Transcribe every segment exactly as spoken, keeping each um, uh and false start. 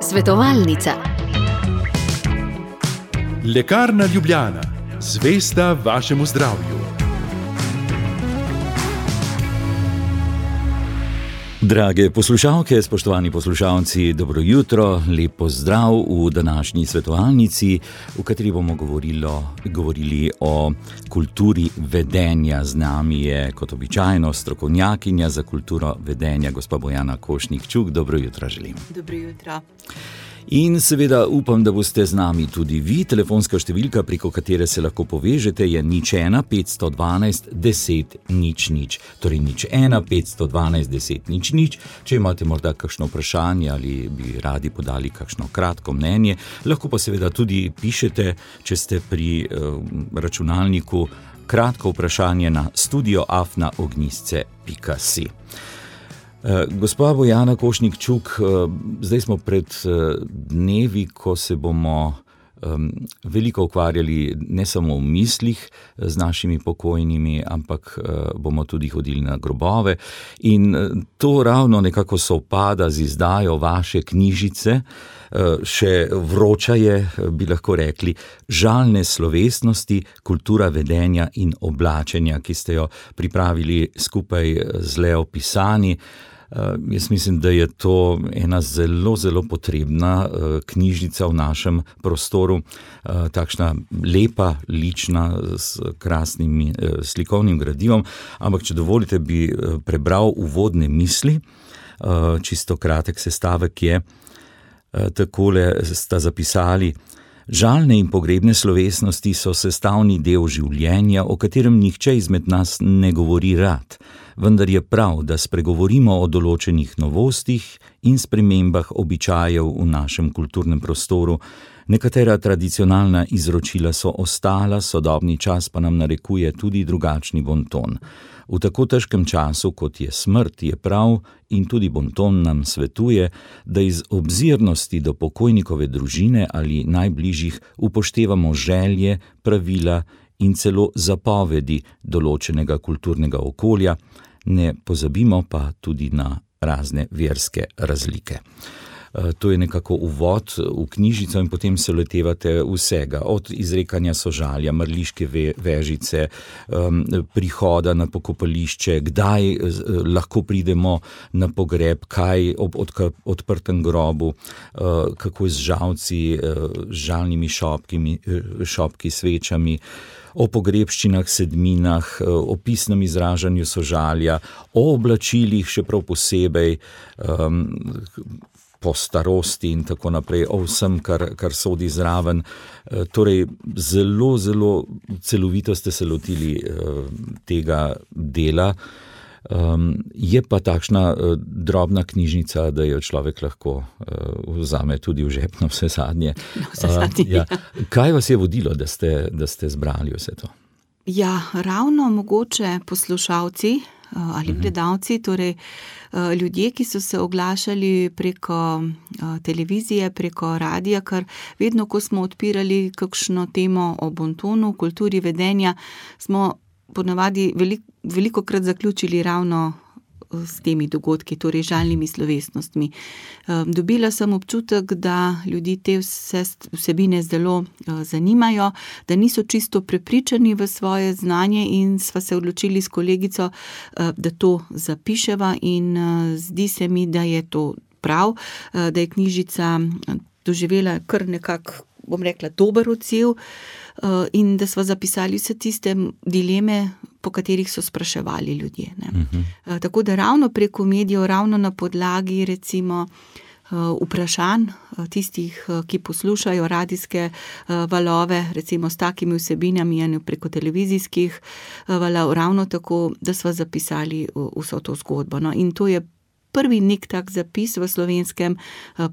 Svetovalnica. Lekarna Ljubljana, zvesta vašemu zdravju. Drage poslušalke, spoštovani poslušalci, dobro jutro, lep pozdrav v današnji svetovalnici, v kateri bomo govorilo, govorili o kulturi vedenja. Z nami je kot običajno strokovnjakinja za kulturo vedenja, gospa Bojana Košnik-Čuk. Dobro jutro želim. Dobro jutro. In seveda upam, da boste z nami tudi vi. Telefonska številka, preko katere se lahko povežete, je nič ena petsto dvanajst deset nič nič. Torej nič ena petsto dvanajst deset nič nič. Če imate morda kakšno vprašanje ali bi radi podali kakšno kratko mnenje, lahko pa seveda tudi pišete, če ste pri uh, računalniku, kratko vprašanje na studio afna ognjisce pika si. Gospa Bojana Košnik-Čuk, zdaj smo pred dnevi, ko se bomo veliko ukvarjali ne samo v mislih z našimi pokojnimi, ampak bomo tudi hodili na grobove. In to ravno nekako sovpada z izdajo vaše knjižice, še vroča je, bi lahko rekli, Žalne slovesnosti, kultura vedenja in oblačenja, ki ste jo pripravili skupaj z Leo Pisani. Uh, jaz mislim, da je to ena zelo, zelo potrebna uh, knjižnica v našem prostoru, uh, takšna lepa, lična, s krasnim uh, slikovnim gradivom, ampak če dovolite, bi uh, prebral uvodne misli, uh, čisto kratek sestavek je, uh, takole sta zapisali: Žalne in pogrebne slovesnosti so sestavni del življenja, o katerem nihče izmed nas ne govori rad. Vendar je prav, da spregovorimo o določenih novostih in spremembah običajev v našem kulturnem prostoru. Nekatera tradicionalna izročila so ostala, sodobni čas pa nam narekuje tudi drugačni bonton. V tako težkem času, kot je smrt, je prav in tudi bonton nam svetuje, da iz obzirnosti do pokojnikove družine ali najbližjih upoštevamo želje, pravila in celo zapovedi določenega kulturnega okolja, ne pozabimo pa tudi na razne verske razlike. To je nekako uvod v knjižico in potem se lotevate vsega, od izrekanja sožalja, mrliške vežice, prihoda na pokopališče, kdaj lahko pridemo na pogreb, kaj ob odprtem grobu, kako z žalci, žalnimi šopkimi, šopki, svečami, o pogrebščinah, sedminah, o pisnem izražanju sožalja, o oblačilih še prav posebej, um, po starosti in tako naprej, o vsem, kar, kar sodi zraven. Torej, zelo, zelo celovito ste se lotili uh, tega dela. Um, je pa takšna uh, drobna knjižnica, da jo človek lahko uh, vzame tudi v žep na vse zadnje. No, vse zadnje, uh, ja. Ja. Kaj vas je vodilo, da ste, da ste zbrali vse to? Ja, ravno mogoče poslušalci uh, ali gledalci, torej uh, ljudje, ki so se oglašali preko uh, televizije, preko radija, ker vedno, ko smo odpirali kakšno temo o bontonu, kulturi vedenja, smo ponavadi veliko veliko krat zaključili ravno s temi dogodki, torej žalnimi slovesnostmi. Dobila sem občutek, da ljudi te vse vsebine zelo zanimajo, da niso čisto prepričani v svoje znanje in sva se odločili s kolegico, da to zapiševa in zdi se mi, da je to prav, da je knjižica doživela kar nekako, bom rekla, dober odziv in da sva zapisali vse tiste dileme, po katerih so spraševali ljudje. Ne. Uh-huh. Tako da ravno preko medijev, ravno na podlagi recimo vprašanj tistih, ki poslušajo radijske valove, recimo s takimi vsebinami, preko televizijskih valov, ravno tako, da sva zapisali vso to zgodbo. No, in to je prvi nek tak zapis v slovenskem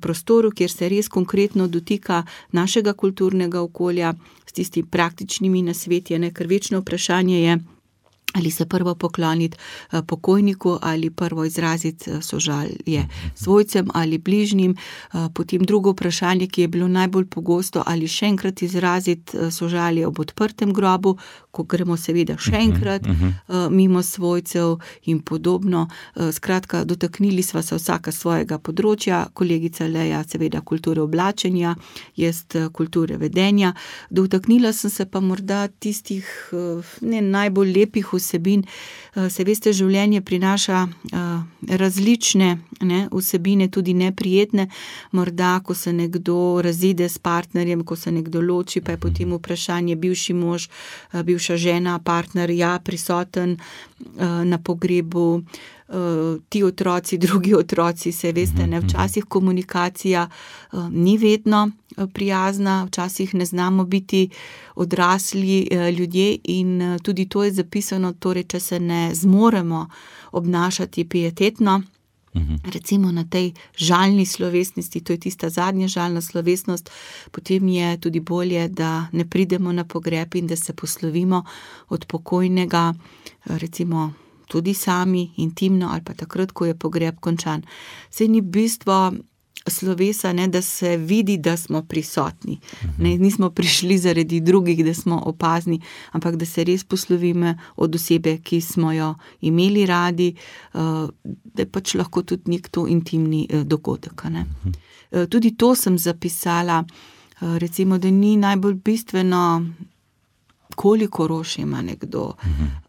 prostoru, kjer se res konkretno dotika našega kulturnega okolja s tistimi praktičnimi nasveti, ker večno vprašanje je, ali se prvo pokloniti pokojniku ali prvo izraziti sožalje svojcem ali bližnjim. Potem drugo vprašanje, ki je bilo najbolj pogosto, ali še enkrat izraziti sožalje ob odprtem grobu, ko gremo seveda še enkrat uh, mimo svojcev in podobno. Uh, skratka, dotaknili sva se vsaka svojega področja, kolegica Leja seveda kulture oblačenja, jaz kulture vedenja. Dotaknila sem se pa morda tistih uh, ne najbolj lepih vsebin. Uh, se veste, življenje prinaša uh, različne ne, vsebine, tudi neprijetne. Morda, ko se nekdo razide s partnerjem, ko se nekdo loči, pa je potem vprašanje bivši mož, bivša žena, partner, ja, prisoten na pogrebu, ti otroci, drugi otroci, se veste, ne, včasih komunikacija ni vedno prijazna, včasih ne znamo biti odrasli ljudje in tudi to je zapisano, torej, če se ne zmoremo obnašati pietetno, recimo na tej žalni slovesnosti, to je tista zadnja žalna slovesnost, potem je tudi bolje, da ne pridemo na pogreb in da se poslovimo od pokojnega, recimo tudi sami, intimno ali pa takrat, ko je pogreb končan. Saj ni bistvo slovesa, ne, da se vidi, da smo prisotni. Ne, nismo prišli zaradi drugih, da smo opazni, ampak da se res poslovimo od osebe, ki smo jo imeli radi, da je pač lahko tudi nek to intimni dogodek. Ne. Tudi to sem zapisala, recimo, da ni najbolj bistveno, koliko rož ima nekdo,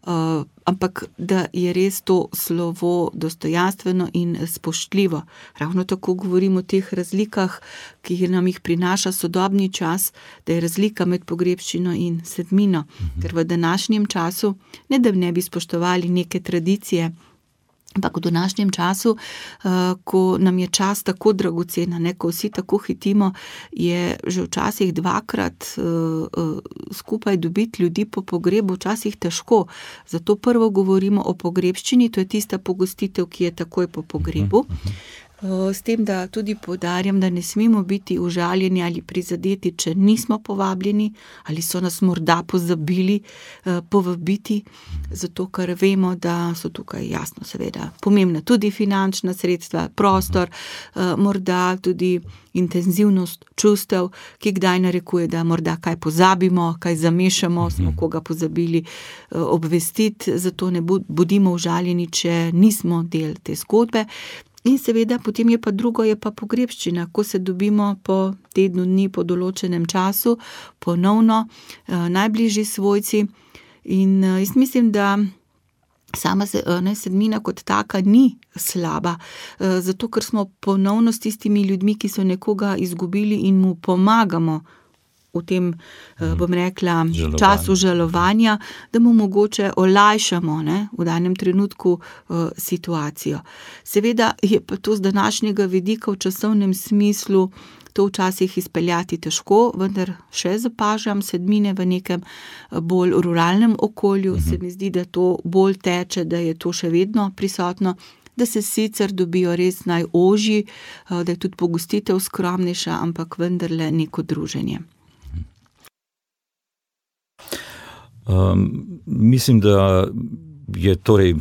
uh, ampak da je res to slovo dostojanstveno in spoštljivo. Ravno tako govorim o teh razlikah, ki nam jih prinaša sodobni čas, da je razlika med pogrebščino in sedmino, ker v današnjem času, ne da ne bi spoštovali neke tradicije, ampak v današnjem času, ko nam je čas tako dragocena, ne, ko vsi tako hitimo, je že včasih dvakrat skupaj dobiti ljudi po pogrebu včasih težko. Zato prvo govorimo o pogrebščini, to je tista pogostitev, ki je takoj po pogrebu. S tem, da tudi poudarjam, da ne smemo biti užaljeni ali prizadeti, če nismo povabljeni, ali so nas morda pozabili povabiti, zato ker vemo, da so tukaj jasno seveda pomembna tudi finančna sredstva, prostor, morda tudi intenzivnost čustev, ki kdaj narekuje, da morda kaj pozabimo, kaj zamešamo, smo koga pozabili obvestiti, zato ne bodimo užaljeni, če nismo del te zgodbe. In seveda potem je pa drugo, je pa pogrebščina, ko se dobimo po tednu dni, po določenem času, ponovno eh, najbližji svojci. In eh, jaz mislim, da sama se, ne, sedmina kot taka ni slaba, eh, zato ker smo ponovno s tistimi ljudmi, ki so nekoga izgubili in mu pomagamo v tem, bom rekla, Žalovanje. času žalovanja, da mu mogoče olajšamo, ne, v danem trenutku uh, situacijo. Seveda je pa to z današnjega vidika v časovnem smislu to včasih izpeljati težko, vendar še zapažam sedmine v nekem bolj ruralnem okolju, uh-huh. se mi zdi, da to bolj teče, da je to še vedno prisotno, da se sicer dobijo res najožji, uh, da je tudi pogostitev skromnejša, ampak vendarle neko druženje. Um, mislim, da je torej,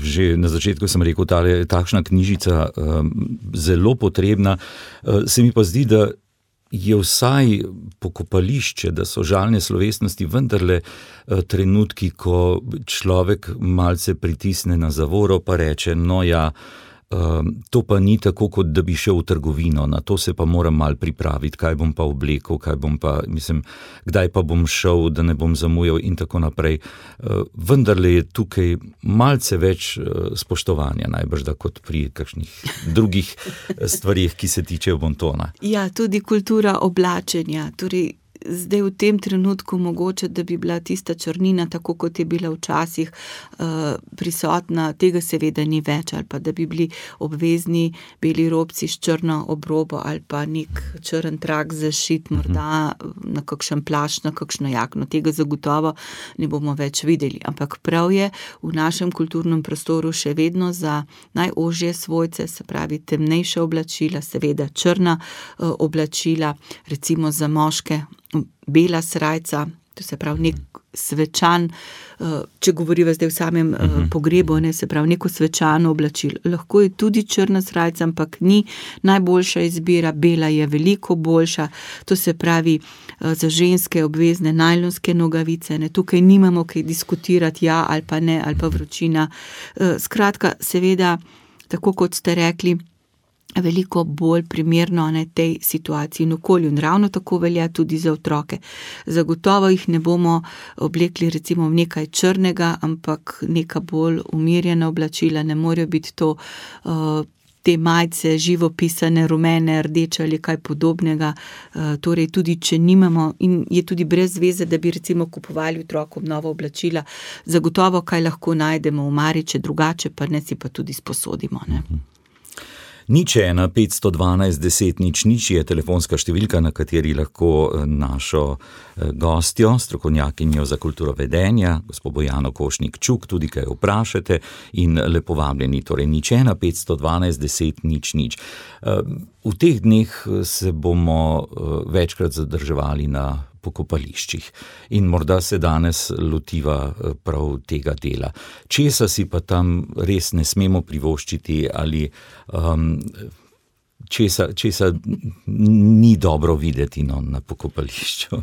že na začetku sem rekel, tale, takšna knjižica um, zelo potrebna. Uh, se mi pa zdi, da je vsaj pokopališče, da so žalne slovesnosti vendarle uh, trenutki, ko človek malce pritisne na zavoro pa reče, no ja, Um, to pa ni tako, kot da bi šel v trgovino, na to se pa moram mal pripraviti, kaj bom pa oblekel, kaj bom pa, mislim, kdaj pa bom šel, da ne bom zamujal in tako naprej. Uh, vendarle je tukaj malce več uh, spoštovanja, najbrž da kot pri kakšnih drugih stvarih, ki se tičejo bontona. Ja, tudi kultura oblačenja, torej zdaj v tem trenutku mogoče, da bi bila tista črnina, tako kot je bila včasih uh, prisotna, tega seveda ni več, ali pa da bi bili obvezni beli robci s črno obrobo ali pa nek črn trak zašit morda na kakšen plašč, na kakšno jakno. Tega zagotovo ne bomo več videli, ampak prav je v našem kulturnem prostoru še vedno za najožje svojce, se pravi temnejša oblačila, seveda črna uh, oblačila, recimo za moške bela srajca, To se pravi, nek svečan, če govoriva zdaj v samem pogrebu, ne, se pravi, neko svečano oblačilo. Lahko je tudi črna srajca, ampak ni najboljša izbira, bela je veliko boljša. To se pravi, za ženske obvezne najlonske nogavice, ne, tukaj nimamo kaj diskutirati, ja ali pa ne, ali pa vročina. Skratka, seveda, tako kot ste rekli, veliko bolj primerno ne, tej situaciji in okolju. In ravno tako velja tudi za otroke. Zagotovo jih ne bomo oblekli recimo v nekaj črnega, ampak neka bolj umirjena oblačila, ne morejo biti to uh, te majice živopisane, rumene, rdeče ali kaj podobnega. Uh, torej tudi, če nimamo in je tudi brez veze, da bi recimo kupovali otrokom nova oblačila, zagotovo kaj lahko najdemo v mariče, drugače pa ne si pa tudi sposodimo, ne. Nič ena, petsto dvanajst, deset, nič, nič je telefonska številka, na kateri lahko našo gostjo, strokovnjakinjo za kulturo vedenja, gospo Bojano Košnik Čuk, tudi kaj vprašate in lepo vabljeni, torej nič ena, petsto dvanajst, deset, nič, nič. V teh dneh se bomo večkrat zadrževali na pokopališčih in morda se danes lotiva prav tega dela. Česa si pa tam res ne smemo privoščiti ali um, česa, česa ni dobro videti no, na pokopališču.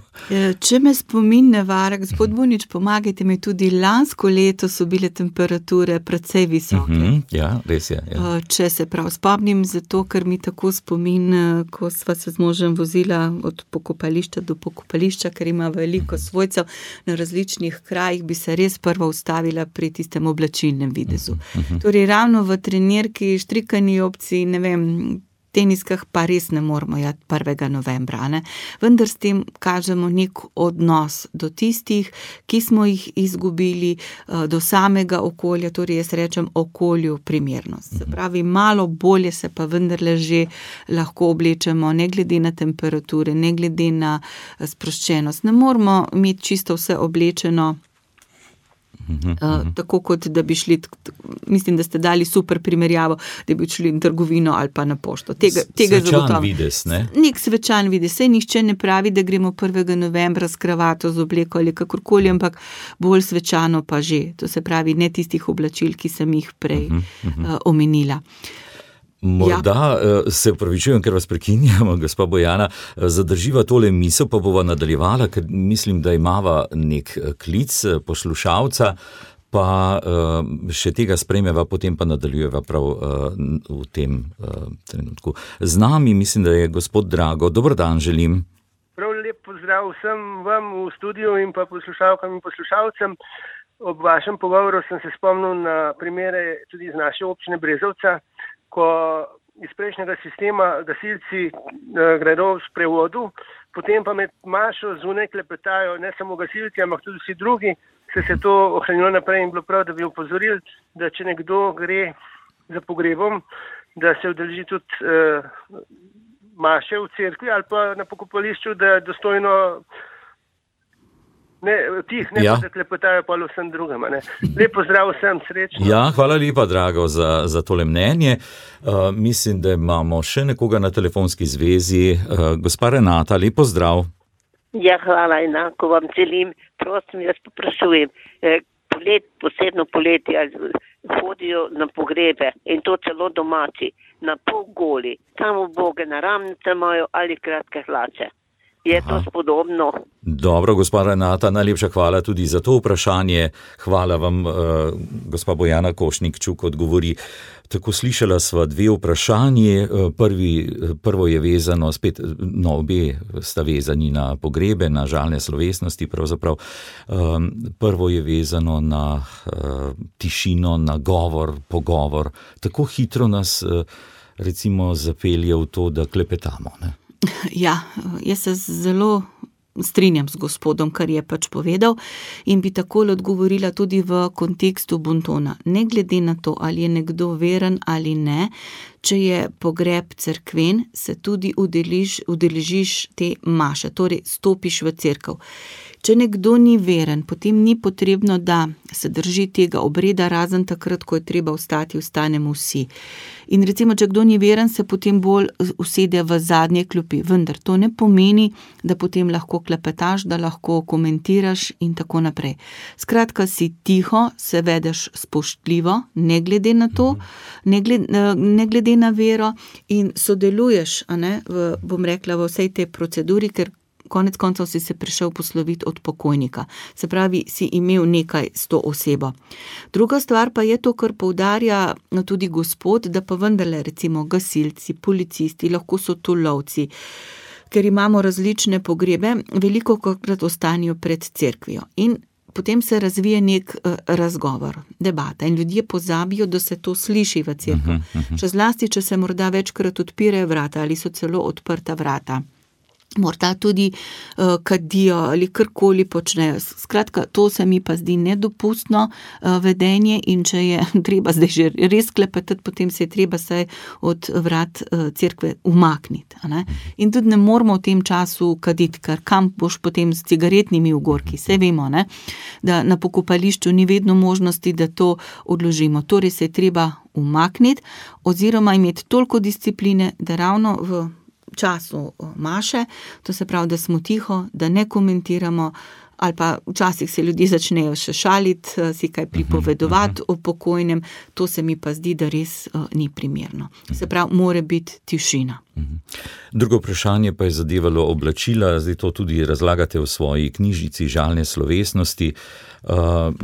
Če me spomin ne vara, gospod Bunič, pomagajte mi, tudi lansko leto so bile temperature precej visoke. Uh-huh, ja, res je. Ja. Če se prav spomnim, zato ker mi tako spomin, ko sva se z možem vozila od pokopališča do pokopališča, ker ima veliko svojcev na različnih krajih, bi se res prva ustavila pri tistem oblačilnem videzu. Uh-huh. Torej ravno v trenirki, štrikani opciji, ne vem, teniskah pa res ne moramo jati prvega novembra, ne? Vendar s tem kažemo nek odnos do tistih, ki smo jih izgubili, do samega okolja, torej jaz rečem okolju primernost. Se pravi, malo bolje se pa vendarle že lahko oblečemo, ne glede na temperature, ne glede na sproščenost. Ne moramo imeti čisto vse oblečeno, Uh, tako kot da bi šli, mislim, da ste dali super primerjavo, da bi šli v trgovino ali pa na pošto. Tega, tega svečan vides, ne? Nek svečan vides. Saj nihče ne pravi, da gremo prvega novembra s kravato, z obleko ali kakorkoli, ampak bolj svečano pa že. To se pravi, ne tistih oblačil, ki sem jih prej uh, uh, omenila. Morda ja. Se upravičujem, ker vas prekinjamo, gospa Bojana, zadrživa tole misel, pa bova nadaljevala, ker mislim, da imava nek klic poslušalca, pa še tega sprejmeva, potem pa nadaljujeva prav v tem trenutku. Z nami mislim, da je gospod Drago. Dober dan želim. Prav lep pozdrav vsem vam v studiu in pa poslušalkam in poslušalcem. Ob vašem pogovoru sem se spomnil na primere tudi iz naše občine Brezovca, ko iz prejšnjega sistema gasilci eh, gredo v sprevodu, potem pa med mašo zunaj klepetajo ne samo gasilci, ampak tudi vsi drugi, se se to ohranilo naprej in bilo prav, da bi opozorili, da če nekdo gre za pogrebom, da se udeleži tudi eh, maše v cerkvi ali pa na pokopališču, da dostojno Ne, tih ne ja. Pa zaklepetajo pa vsem drugim. Ne. Lep pozdrav vsem, srečno. Ja, hvala lepa, Drago, za, za tole mnenje. Uh, mislim, da imamo še nekoga na telefonski zvezi. Uh, gospa Renata, lep pozdrav. Ja, hvala, enako vam želim. Prosim, jaz poprašujem. Polet, posebno poletje hodijo na pogrebe in to celo domači, na pol goli. Samo boge na ramnice imajo ali kratke hlače. Je to spodobno? Dobro, gospa Renata, najlepša hvala tudi za to vprašanje. Hvala vam, uh, gospa Bojana Košnik Čuk odgovori. Tako slišala sva dve vprašanje. Prvi, prvo je vezano, spet, no, obe sta vezani na pogrebe, na žalne slovesnosti pravzaprav. Um, prvo je vezano na uh, tišino, na govor, pogovor. Tako hitro nas uh, recimo zapelje v to, da klepetamo, ne? Ja, jaz se zelo strinjam z gospodom, kar je pač povedal in bi takole odgovorila tudi v kontekstu bontona. Ne glede na to, ali je nekdo veren ali ne, če je pogreb cerkven, se tudi udelež, udeležiš te maše, torej stopiš v cerkev. Če nekdo ni veren, potem ni potrebno, da se drži tega obreda, razen takrat, ko je treba vstati, vstanemo vsi. In recimo, če kdo ni veren, se potem bolj usede v zadnje klopi, vendar to ne pomeni, da potem lahko klepetaš, da lahko komentiraš in tako naprej. Skratka, si tiho, se vedeš spoštljivo, ne glede na to, ne glede, ne glede na vero in sodeluješ, a ne, v, bom rekla, v vsej tej proceduri, ker konec koncev si se prišel posloviti od pokojnika. Se pravi, si imel nekaj s to osebo. Druga stvar pa je to, kar poudarja tudi gospod, da pa vendarle recimo gasilci, policisti, lahko so to lovci, ker imamo različne pogrebe, veliko krat ostanijo pred cerkvijo. In potem se razvije nek uh, razgovor, debata in ljudje pozabijo, da se to sliši v cerkvi. Uh-huh, uh-huh. Še zlasti, če se morda večkrat odpirajo vrata ali so celo odprta vrata. Morda tudi uh, kadijo ali karkoli počnejo. Skratka, to se mi pa zdi nedopustno uh, vedenje in če je treba zdaj že res klepetati, potem se je treba saj od vrat uh, cerkve umakniti. A ne? In tudi ne moramo v tem času kaditi, ker kam boš potem s cigaretnimi ugorki. Saj vemo, ne? Da na pokopališču ni vedno možnosti, da to odložimo. Torej se je treba umakniti oziroma imeti toliko discipline, da ravno v času maše, to se pravi, da smo tiho, da ne komentiramo, ali pa včasih se ljudje začnejo še šaliti, si kaj pripovedovati o pokojnem, to se mi pa zdi, da res uh, ni primerno. Se pravi, mora biti tišina. Drugo vprašanje pa je zadevalo oblačila, zdaj to tudi razlagate v svoji knjižici Žalne slovesnosti. Uh,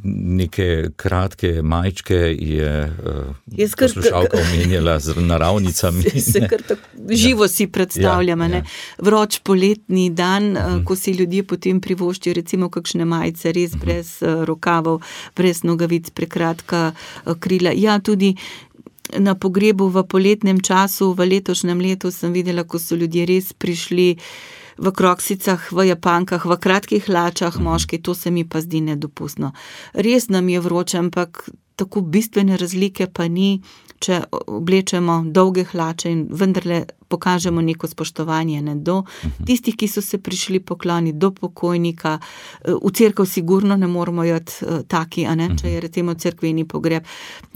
neke kratke majčke je uh, poslušalka omenjala z naravnicami. Se, se kar tako živo si predstavljam, ja, ja. Vroč poletni dan, uh-huh. ko si ljudje potem privoščijo recimo kakšne majice, res uh-huh. brez uh, rokavov, brez nogavic, prekratka uh, krila. Ja, tudi na pogrebu v poletnem času, v letošnjem letu sem videla, ko so ljudje res prišli v kroksicah, v japankah, v kratkih hlačah, moški, to se mi pa zdi nedopustno. Res nam je vroče, ampak tako bistvene razlike pa ni, če oblečemo dolge hlače in vendarle pokažemo neko spoštovanje ne, do tistih, ki so se prišli pokloniti, do pokojnika. V cerkev sigurno ne moramo jati taki, a ne, če je recimo cerkveni pogreb.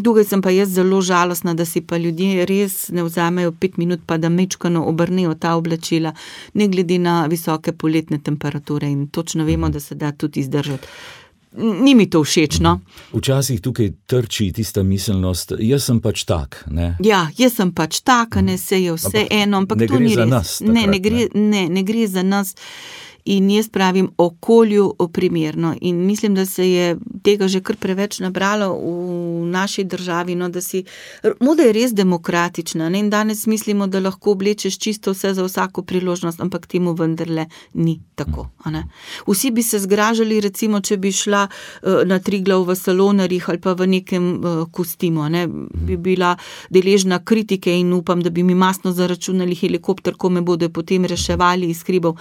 Tukaj sem pa jaz zelo žalostna, da si pa ljudje res ne vzamejo pet minut, pa da mečkano obrnejo ta oblačila, ne glede na visoke poletne temperature in točno vemo, da se da tudi izdržati. Ni mi to všeč, no. Včasih tukaj trči tista miselnost, jaz sem pač tak, ne? Ja, jaz sem pač tak, ne, se je vse ampak eno, ampak to ni res. Ne gre za nas takrat, ne, ne gre, ne, ne gre za nas. In jaz pravim okolju primerno in mislim, da se je tega že kar preveč nabralo v naši državi, no, da si, moda je res demokratična, ne, in danes mislimo, da lahko oblečeš čisto vse za vsako priložnost, ampak temu vendarle ni tako, a ne. Vsi bi se zgražali, recimo, če bi šla uh, na Triglav v salonarjih ali pa v nekem uh, kostimu, ne, bi bila deležna kritike in upam, da bi mi masno zaračunali helikopter, ko me bodo potem reševali iz hribov.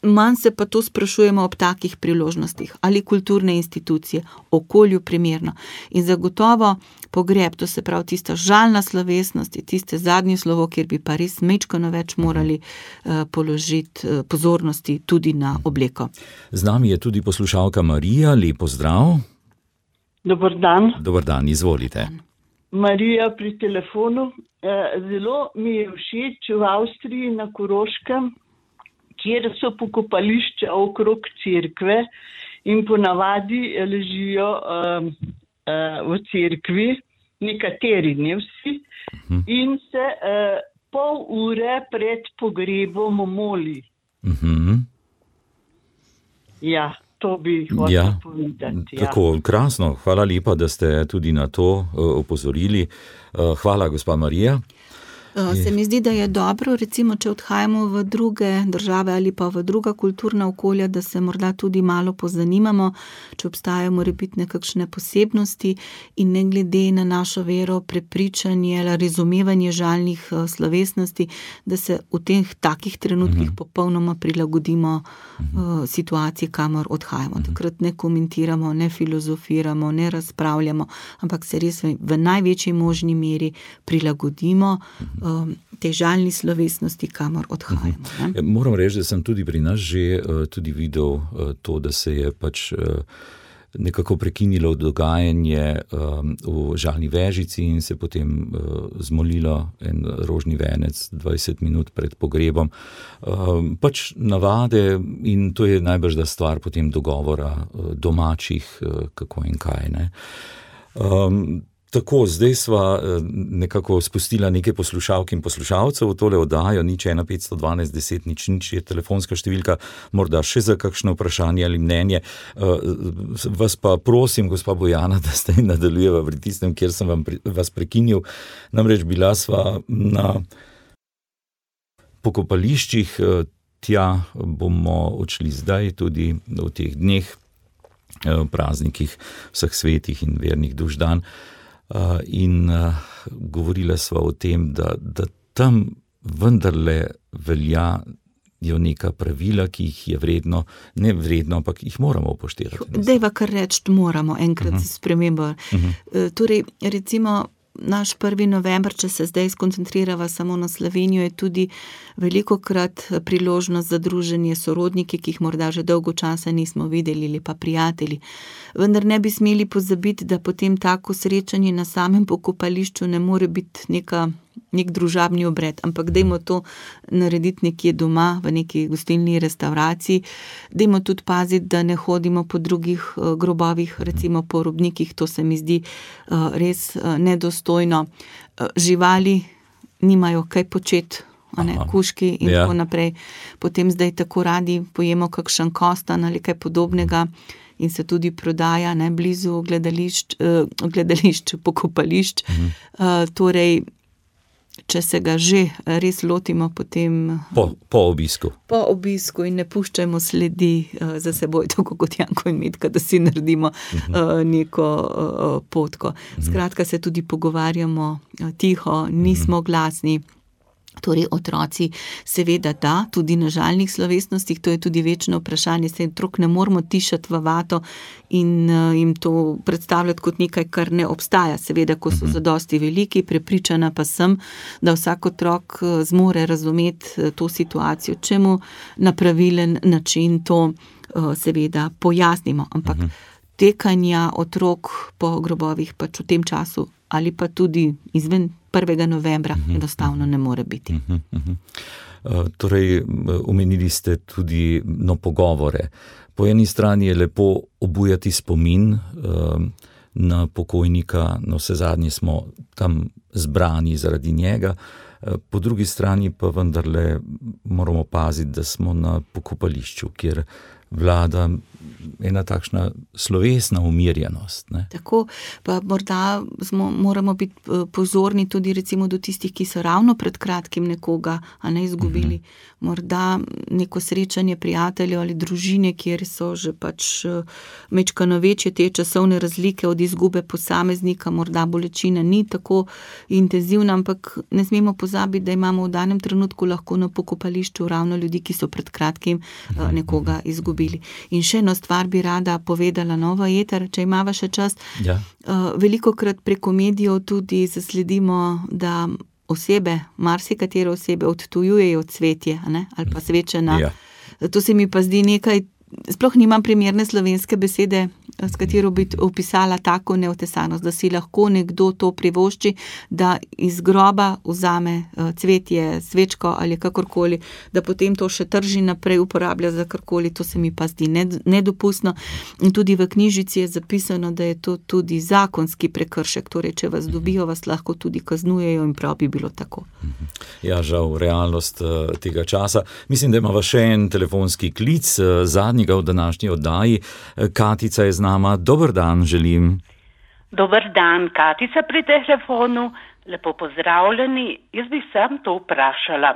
Manj se pa to sprašujemo ob takih priložnostih, ali kulturne institucije, okolju primerno. In zagotovo pogreb, to se pravi tista žalna slovesnost, je tiste zadnje slovo, kjer bi pa res mečkano več morali uh, položiti uh, pozornosti tudi na obleko. Z nami je tudi poslušalka Marija, lep pozdrav. Dobar dan. Dobar dan, izvolite. Marija pri telefonu. Zelo mi je všeč v Avstriji na Koroškem, kjer so pokopališča okrog cerkve in ponavadi ležijo uh, uh, v cerkvi, nekateri, ne vsi, uh-huh. in se uh, pol ure pred pogrebom moli. Uh-huh. Ja, to bi hotel ja, povedati. Ja. Tako, krasno, hvala lepa, da ste tudi na to uh, opozorili. Uh, hvala, gospa Marija. Se mi zdi, da je dobro, recimo, če odhajamo v druge države ali pa v druga kulturna okolja, da se morda tudi malo pozanimamo, če obstajajo morebitne kakšne posebnosti in ne glede na našo vero, prepričanje ali razumevanje žalnih slovesnosti, da se v teh takih trenutkih uh-huh. popolnoma prilagodimo uh-huh. situaciji, kamor odhajamo. Uh-huh. Takrat ne komentiramo, ne filozofiramo, ne razpravljamo, ampak se res v, v največji možni meri prilagodimo uh-huh. te žalni slovesnosti, kamor odhajamo. Uh-huh. Moram reči, da sem tudi pri nas že uh, tudi videl uh, to, da se je pač uh, nekako prekinilo dogajanje um, v Žalni Vežici in se potem uh, zmolilo en rožni venec dvajset minut pred pogrebom. Um, pač navade in to je najbrž da stvar potem dogovora uh, domačih, uh, kako in kaj, ne. Um, Tako, zdaj sva nekako spustila nekaj poslušalk in poslušalcev v tole oddajo, nič ena petsto dvanajst deset nič nič je telefonska številka, morda še za kakšno vprašanje ali mnenje. Vas pa prosim, gospa Bojana, da ste nadaljujeva pri tistem, kjer sem vam, vas prekinil. Namreč bila sva na pokopališčih, tja bomo odšli zdaj tudi v teh dneh, praznikih vseh svetih in vernih duš dan. Uh, in uh, govorila sva o tem, da, da tam vendarle veljajo neka pravila, ki jih je vredno, ne vredno, ampak jih moramo upoštevati. Dejva kar reči, moramo enkrat uh-huh. spremembo. Uh-huh. Uh, torej, recimo, naš prvi november, če se zdaj skoncentrirava samo na Slovenijo, je tudi velikokrat priložnost za druženje sorodniki, ki jih morda že dolgo časa nismo videli, ali pa prijatelji. Vendar ne bi smeli pozabiti, da potem tako srečanje na samem pokopališču ne more biti neka, nek družabni obred, ampak dajmo to narediti nekje doma, v neki gostilni restavraciji. Dajmo tudi paziti, da ne hodimo po drugih uh, grobovih, recimo po robnikih, to se mi zdi uh, res uh, nedostojno. Uh, živali nimajo kaj početi, a ne, kužki in ja. tako naprej. Potem zdaj tako radi pojemo kakšen kostan ali kaj podobnega in se tudi prodaja, ne, blizu gledališč, uh, gledališč pokopališč. Uh-huh. Uh, torej, če se ga že res lotimo, potem po, po obisku. Po obisku in ne puščajmo sledi uh, za seboj, tako kot Janko in Metka, da si naredimo uh-huh. uh, neko uh, potko. Uh-huh. Skratka, se tudi pogovarjamo uh, tiho, nismo uh-huh. glasni. Torej, otroci seveda da, tudi na žalnih slovesnostih, to je tudi večno vprašanje, se otrok ne moramo tišati v vato in uh, jim to predstavljati kot nekaj, kar ne obstaja. Seveda, ko so zadosti veliki, prepričana pa sem, da vsak otrok uh, zmore razumeti uh, to situacijo, če mu na pravilen način to uh, seveda pojasnimo. Ampak uh-huh. tekanja otrok po grobovih pač v tem času ali pa tudi izven prvega novembra uh-huh. enostavno ne more biti. Uh-huh, uh-huh. Uh, torej, omenili ste tudi no, pogovore. Po eni strani je lepo obujati spomin uh, na pokojnika, no vse zadnje smo tam zbrani zaradi njega, uh, po drugi strani pa vendarle moramo paziti, da smo na pokopališču, kjer vlada ena takšna slovesna umirjenost. Ne? Tako, pa morda smo, moramo biti pozorni tudi recimo do tistih, ki so ravno pred kratkim nekoga, a ne izgubili. Uh-huh. Morda neko srečanje prijateljev ali družine, kjer so že pač mečkano večje te časovne razlike od izgube posameznika, morda bolečina ni tako intenzivna, ampak ne smemo pozabiti, da imamo v danem trenutku lahko na pokopališču ravno ljudi, ki so pred kratkim uh, nekoga izgubili. In še eno stvar bi rada povedala nova eter, če imava še čas. Ja. Uh, velikokrat preko medijev tudi zasledimo, da osebe, marsikatere osebe odtujujejo cvetje, ne? Ali pa svečena. Ja. To se mi pa zdi nekaj, sploh nimam primerne slovenske besede, s katero bi opisala tako neotesanost, da si lahko nekdo to privošči, da iz groba vzame cvetje, svečko ali kakorkoli, da potem to še trži naprej, uporablja za karkoli, to se mi pa zdi nedopustno. In tudi v knjižici je zapisano, da je to tudi zakonski prekršek, torej če vas dobijo, vas lahko tudi kaznujejo in prav bi bilo tako. Ja, žal, realnost tega časa. Mislim, da imamo še en telefonski klic, zadnjega v današnji oddaji. Katica je z nama. Dober dan želim. Dober dan, Katica pri telefonu. Lepo pozdravljeni. Jaz bi sam to vprašala.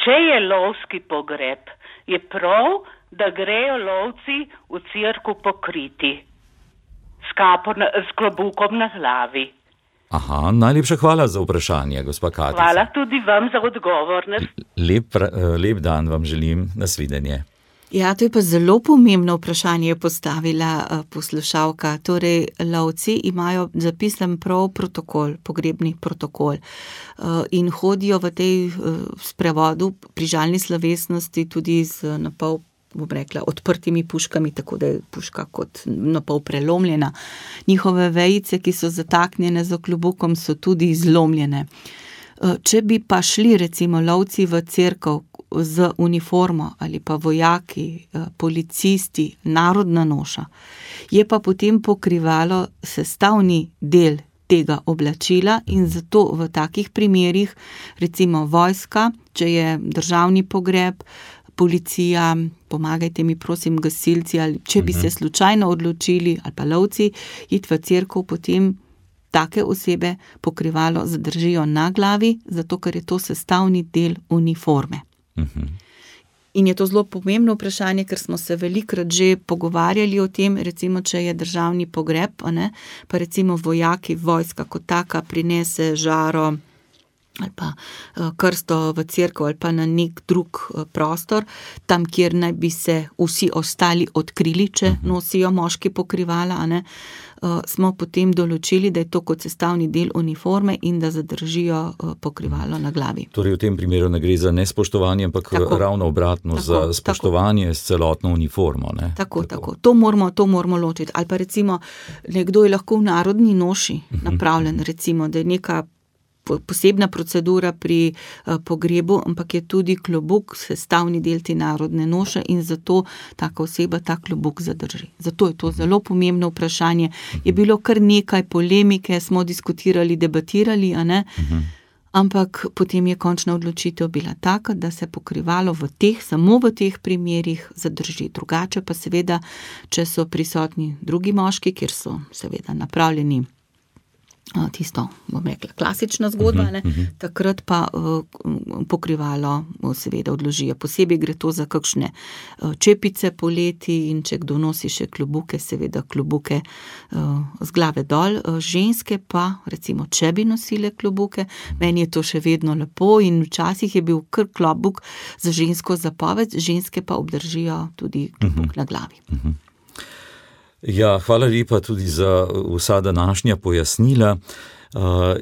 Če je lovski pogreb, je prav, da grejo lovci v cerkev pokriti s kapo, s klobukom na glavi. Aha, najlepša hvala za vprašanje, gospa Katica. Hvala tudi vam za odgovor. Lep, lep dan vam želim, nasvidenje. Ja, to je pa zelo pomembno vprašanje postavila poslušalka. Torej, lovci imajo zapisan prav protokol, pogrebni protokol in hodijo v tej sprevodu pri žalni slovesnosti tudi z napol, bom rekla, odprtimi puškami, tako da je puška kot napol prelomljena. Njihove vejice, ki so zataknjene z klobukom, so tudi zlomljene. Če bi pa šli recimo lovci v cerkev z uniformo ali pa vojaki, policisti, narodna noša, je pa potem pokrivalo sestavni del tega oblačila in zato v takih primerih, recimo vojska, če je državni pogreb, policija, pomagajte mi prosim gasilci, ali če bi se slučajno odločili, ali pa lovci, iti v cerkev, potem take osebe pokrivalo zadržijo na glavi, zato ker je to sestavni del uniforme. Uh-huh. In je to zelo pomembno vprašanje, ker smo se velikrat že pogovarjali o tem, recimo, če je državni pogreb, ne, pa recimo vojaki, vojska kot taka prinese žaro ali pa krsto v cerkev ali pa na nek drug prostor, tam, kjer naj bi se vsi ostali odkrili, če nosijo moški pokrivala, a ne, smo potem določili, da je to kot sestavni del uniforme in da zadržijo pokrivalo na glavi. Torej v tem primeru ne gre za nespoštovanje, ampak tako, ravno obratno, tako, za spoštovanje tako. S celotno uniformo. Ne? Tako, tako. tako. To moramo, to moramo ločiti. Ali pa recimo, nekdo je lahko v narodni noši napravljen, recimo, da je neka posebna procedura pri pogrebu, ampak je tudi klobuk sestavni del te narodne noše in zato taka oseba ta klobuk zadrži. Zato je to zelo pomembno vprašanje. Je bilo kar nekaj polemike, smo diskutirali, debatirali, a ne? Ampak potem je končna odločitev bila taka, da se pokrivalo v teh, samo v teh primerih zadrži. Drugače pa seveda, če so prisotni drugi moški, kjer so seveda napravljeni tisto, bom rekla, klasična zgodba, ne? Takrat pa uh, pokrivalo seveda odložijo. Posebej gre to za kakšne uh, čepice poleti in če kdo nosi še klobuke, seveda klobuke uh, z glave dol. Uh, ženske pa, recimo, če bi nosile klobuke, meni je to še vedno lepo in včasih je bil kar klobuk za žensko zapoved, ženske pa obdržijo tudi klobuk na glavi. Ja, hvala lepa tudi za vsa današnja pojasnila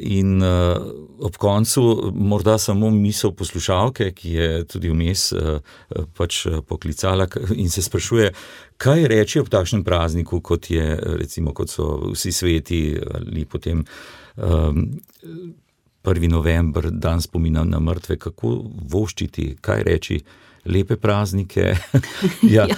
in ob koncu morda samo misel poslušalke, ki je tudi vmes pač poklicala in se sprašuje, kaj reči ob takšnem prazniku, kot je recimo, kot so vsi sveti ali potem prvi november, dan spomina na mrtve, kako voščiti, kaj reči, lepe praznike. ja, ja,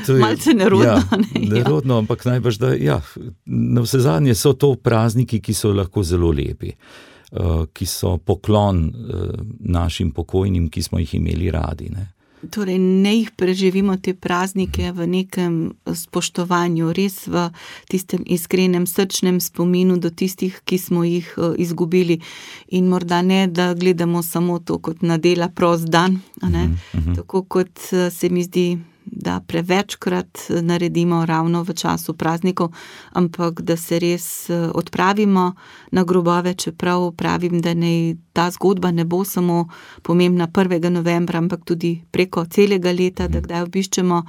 to je, malce nerodno. Ja, ne, nerodno, ja. Ampak najbrž, da ja, na vse zadnje so to prazniki, ki so lahko zelo lepi, uh, ki so poklon uh, našim pokojnim, ki smo jih imeli radi, ne. Torej, ne jih preživimo te praznike v nekem spoštovanju, res v tistem iskrenem srčnem spominu do tistih, ki smo jih izgubili in morda ne, da gledamo samo to kot na dela prost dan, a ne? Uh-huh. Tako kot se mi zdi, da prevečkrat naredimo ravno v času praznikov, ampak da se res odpravimo na grobove, čeprav pravim, da ne, ta zgodba ne bo samo pomembna prvega novembra, ampak tudi preko celega leta, da kdaj obiščemo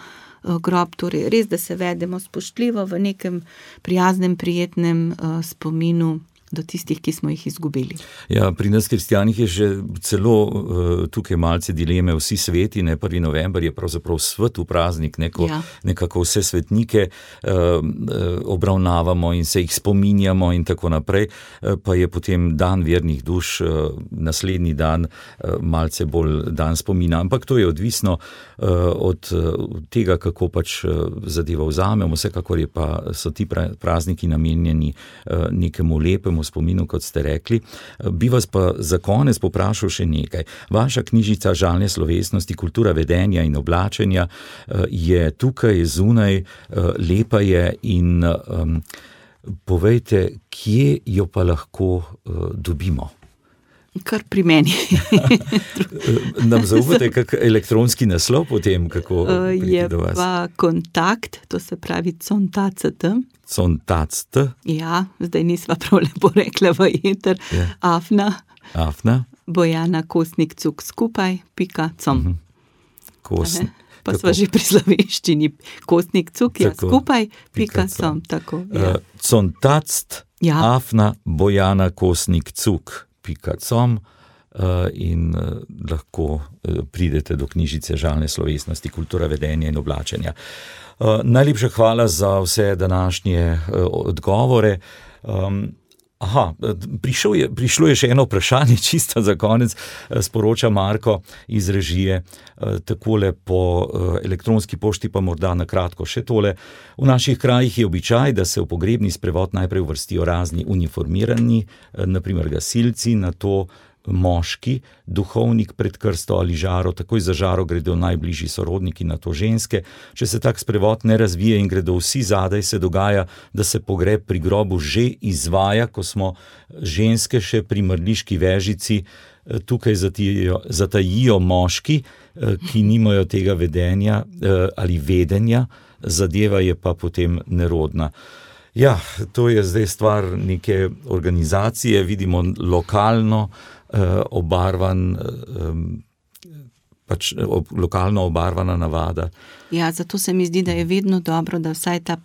grob, torej res, da se vedemo spoštljivo v nekem prijaznem, prijetnem spominu do tistih, ki smo jih izgubili. Ja, pri nas kristjanih je že celo uh, tukaj malce dileme, vsi sveti, ne, prvi november je pravzaprav svetu praznik, neko, ja. Nekako vse svetnike uh, obravnavamo in se jih spominjamo in tako naprej, uh, pa je potem dan vernih duš, uh, naslednji dan uh, malce bolj dan spomina, ampak to je odvisno uh, od uh, tega, kako pač uh, zadeva vzamemo, vsekakor je pa, so ti pra, prazniki namenjeni uh, nekemu lepemu spominu, kot ste rekli. Bi vas pa za konec poprašal še nekaj. Vaša knjižica Žalne slovesnosti, kultura vedenja in oblačenja je tukaj zunaj, lepa je in um, Povejte, kje jo pa lahko uh, dobimo? Kar pri meni. Nam zaupate kak elektronski naslov potem, kako priti do vas? Je pa kontakt, to se pravi contact. Contact. Ja, zdaj nisva prav lepo rekla v eter. Ja. Afna. Afna. Bojana Kosnik Cuk skupaj, pika com. Uh-huh. Kosnik. Pa sva že pri slovenščini. Kosnik Cuk, ja, skupaj, pika com. Tako, ja. uh, Contact, ja. Afna, Bojana Kosnik Cuk. .com uh, in uh, lahko uh, pridete do knjižice Žalne slovesnosti, kultura vedenja in oblačenja. Uh, najlepša hvala za vse današnje uh, odgovore. Um, aha, prišlo je, prišlo je še eno vprašanje, čisto za konec, uh, sporoča Marko iz režije, uh, takole po uh, elektronski pošti pa morda na kratko še tole. V naših krajih je običaj, da se v pogrebni sprevod najprej uvrstijo razni uniformirani, naprimer gasilci, nato moški, duhovnik pred krsto ali žaro, takoj za žaro gredo najbližji sorodniki, nato ženske. Če se tak sprevod ne razvije in gredo vsi zadaj, se dogaja, da se pogreb pri grobu že izvaja, ko smo ženske še pri mrliški vežici, tukaj zatijo, zatajijo moški, ki nimajo tega vedenja ali vedenja, zadeva je pa potem nerodna. Ja, to je zdaj stvar neke organizacije, vidimo lokalno eh, obarvan, eh, pač ob, lokalno obarvana navada. Ja, zato se mi zdi, da je vedno dobro, da vsaj ta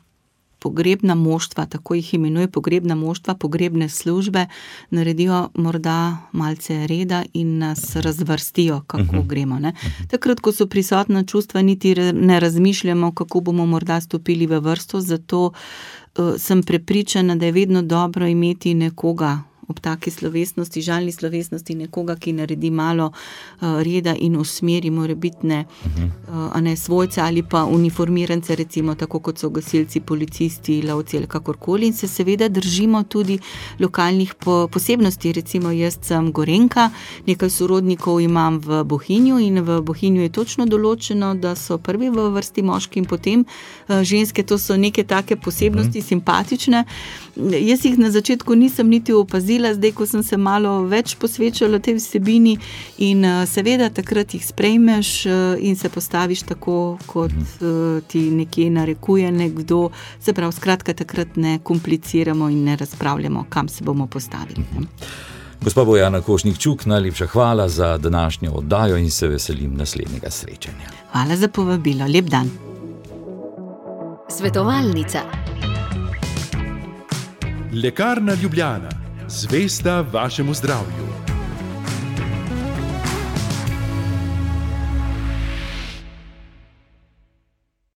pogrebna moštva, tako jih imenuje pogrebna moštva, pogrebne službe, naredijo morda malce reda in nas razvrstijo, kako uh-huh. gremo. Ne? Takrat, ko so prisotna čustva, niti ne razmišljamo, kako bomo morda stopili v vrsto, zato uh, sem prepričana, da je vedno dobro imeti nekoga ob taki slovesnosti, žalni slovesnosti, nekoga, ki naredi malo uh, reda in usmeri morebitne uh-huh. uh, a ne svojce ali pa uniformirance, recimo tako kot so gasilci, policisti, lovci ali kakorkoli, in se seveda držimo tudi lokalnih po, posebnosti. Recimo jaz sem Gorenjka, nekaj sorodnikov imam v Bohinju in v Bohinju je točno določeno, da so prvi v vrsti moški in potem uh, ženske, to so neke take posebnosti, uh-huh. simpatične. Jaz jih na začetku nisem niti opazila, zdaj, ko sem se malo več posvečala tej vsebini in uh, seveda takrat jih sprejmeš uh, in se postaviš tako, kot uh, ti nekje narekuje nekdo. Se pravi, skratka, takrat ne kompliciramo in ne razpravljamo, kam se bomo postavili. Ne? Gospa Bojana Kosnik Cuk, najlepša hvala za današnjo oddajo in se veselim naslednjega srečanja. Hvala za povabilo, lep dan. Svetovalnica. Lekarna Ljubljana, zvesta vašemu zdravju.